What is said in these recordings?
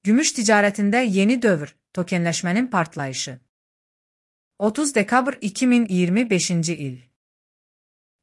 Gümüş ticaretinde yeni dövr, tokenleşmenin partlayışı. 30 dekabr 2025 il.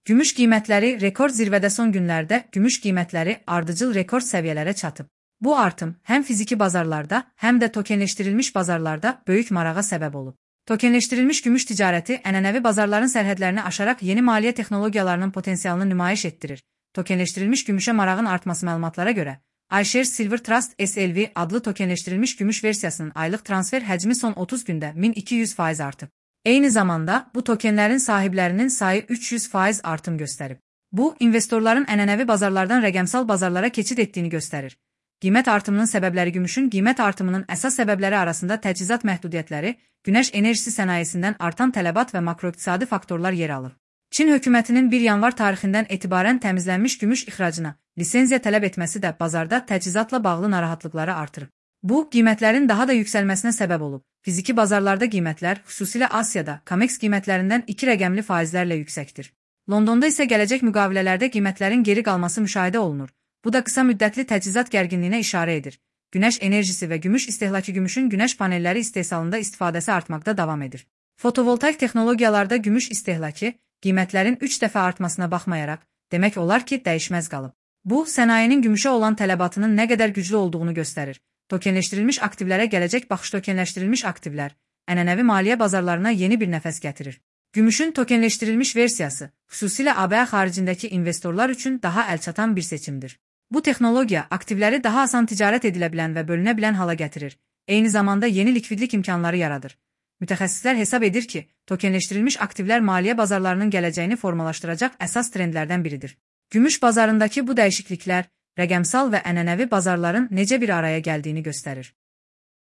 Gümüş qiymətləri rekord zirvədə son günlərdə gümüş qiymətləri ardıcıl rekord səviyyələrə çatıb. Bu artım həm fiziki bazarlarda, həm də tokenleşdirilmiş bazarlarda böyük marağa səbəb olub. Tokenleşdirilmiş gümüş ticarəti ənənəvi bazarların sərhədlərini aşaraq yeni maliyyə texnologiyalarının potensialını nümayiş etdirir. Tokenleşdirilmiş gümüşə marağın artması məlumatlara görə, iShares Silver Trust SLV adlı tokenleşdirilmiş gümüş versiyasının aylıq transfer həcmi son 30 gündə 1200% artıb. Eyni zamanda, bu tokenlərin sahiblərinin sayı 300% artım göstərib. Bu, investorların ənənəvi bazarlardan rəqəmsal bazarlara keçid etdiyini göstərir. Qiymət artımının səbəbləri Gümüşün qiymət artımının əsas səbəbləri arasında təchizat məhdudiyyətləri, günəş enerjisi sənayesindən artan tələbat və makroiqtisadi faktorlar yer alır. Çin hökumətinin 1 yanvar tarixindən etibarən təmizlənmiş gümüş ixracına lisenziya tələb etməsi də bazarda təchizatla bağlı narahatlıqları artırıb. Bu, qiymətlərin daha da yüksəlməsinə səbəb olub. Fiziki bazarlarda qiymətlər, xüsusilə Asiyada, COMEX qiymətlərindən 2 rəqəmli faizlərlə yüksəkdir. Londonda isə gələcək müqavilələrdə qiymətlərin geri qalması müşahidə olunur. Bu da qısa müddətli təchizat gərginliyinə işarə edir. Günəş enerjisi və gümüş istehlakı Gümüşün günəş panelləri istehsalında istifadəsi artmaqda davam edir. Fotovoltaik texnologiyalarda gümüş istehlakı, qiymətlərin 3 dəfə artmasına baxmayaraq, demək olar ki, dəyişməz qalıb. Bu, sənayenin gümüşə olan tələbatının nə qədər güclü olduğunu göstərir. Tokenleşdirilmiş aktivlərə gələcək baxış tokenleşdirilmiş aktivlər, ənənəvi maliyyə bazarlarına yeni bir nəfəs gətirir. Gümüşün tokenleşdirilmiş versiyası, xüsusilə ABŞ xaricindəki investorlar üçün daha əlçatan bir seçimdir. Bu texnologiya aktivləri daha asan ticarət edilə bilən və bölünə bilən hala gətirir. Eyni zamanda yeni likvidlik imkanları yaradır. Mütəxəssislər hesab edir ki, tokenleşdirilmiş aktivlər maliyyə bazarlarının gələcəyini formalaşdıracaq əsas trendlərdən biridir. Gümüş bazarındakı bu dəyişikliklər, rəqəmsal və ənənəvi bazarların necə bir araya gəldiyini göstərir.